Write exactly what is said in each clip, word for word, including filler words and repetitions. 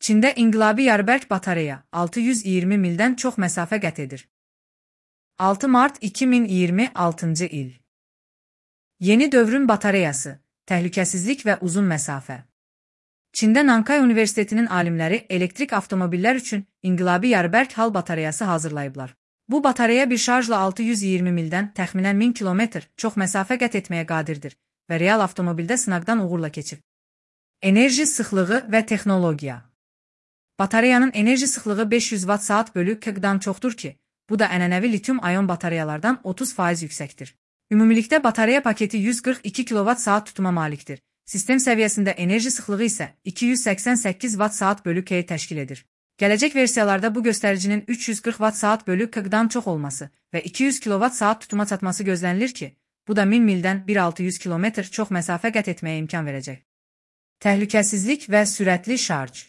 Çində inqilabi yarıbərk batareya altı yüz iyirmi mildən çox məsafə qət edir. altı mart iki min iyirmi altıncı il. Yeni dövrün batareyası, təhlükəsizlik və uzun məsafə. Çində Nankay Universitetinin alimləri elektrik avtomobillər üçün inqilabi yarıbərk hal batareyası hazırlayıblar. Bu batareya bir şarjla altı yüz iyirmi mildən təxminən min kilometr çox məsafə qət etməyə qadirdir və real avtomobildə sınaqdan uğurla keçib. Enerji sıxlığı və texnologiya. Batareyanın enerji sıxlığı beş yüz watt saat bölü kq-dan çoxdur ki, bu da ənənəvi litium-ayon batareyalardan otuz faiz yüksəkdir. Ümumilikdə batareya paketi yüz qırx iki kilovat saat tutuma malikdir. Sistem səviyyəsində enerji sıxlığı isə iki yüz səksən səkkiz watt saat bölü k təşkil edir. Gələcək versiyalarda bu göstəricinin üç yüz qırx watt saat bölü kq-dan çox olması və iki yüz kilovat saat tutuma çatması gözlənilir ki, bu da min mildən bir min altı yüz kilometr çox məsafə qət etməyə imkan verəcək. Təhlükəsizlik və sürətli şarj.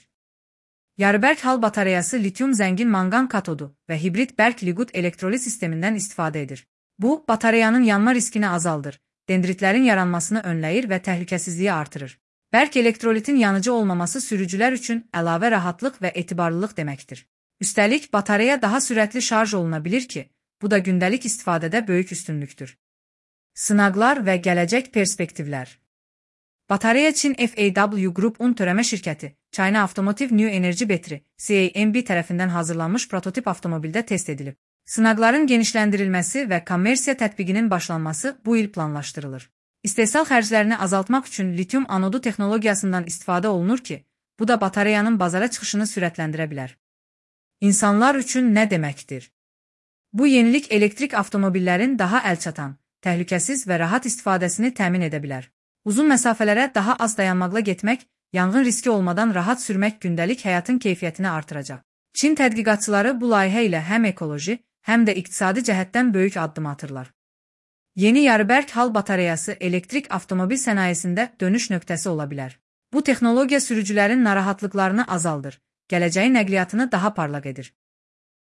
Yarıbərk hal batareyası litium zəngin manqan katodu və hibrid bərk-liqut elektrolit sistemindən istifadə edir. Bu, batareyanın yanma riskini azaldır, dendritlərin yaranmasını önləyir və təhlükəsizliyi artırır. Bərk elektrolitin yanıcı olmaması sürücülər üçün əlavə rahatlıq və etibarlılıq deməkdir. Üstəlik, batareya daha sürətli şarj oluna bilir ki, bu da gündəlik istifadədə böyük üstünlükdür. Sınaqlar və gələcək perspektivlər. Batareya Çin F A W Group-un törəmə şirkəti, China Automotive New Energy Battery C A M B tərəfindən hazırlanmış prototip avtomobildə test edilib. Sınaqların genişləndirilməsi və kommersiya tətbiqinin başlanması bu il planlaşdırılır. İstehsal xərclərini azaltmaq üçün litium anodu texnologiyasından istifadə olunur ki, bu da batareyanın bazara çıxışını sürətləndirə bilər. İnsanlar üçün nə deməkdir? Bu yenilik elektrik avtomobillərin daha əlçatan, təhlükəsiz və rahat istifadəsini təmin edə bilər. Uzun məsafələrə daha az dayanmaqla getmək, yanğın riski olmadan rahat sürmək gündəlik həyatın keyfiyyətini artıracaq. Çin tədqiqatçıları bu layihə ilə həm ekoloji, həm də iqtisadi cəhətdən böyük addım atırlar. Yeni yarıbərk hal batareyası elektrik avtomobil sənayesində dönüş nöqtəsi ola bilər. Bu texnologiya sürücülərin narahatlıqlarını azaldır, gələcəyin nəqliyyatını daha parlaq edir.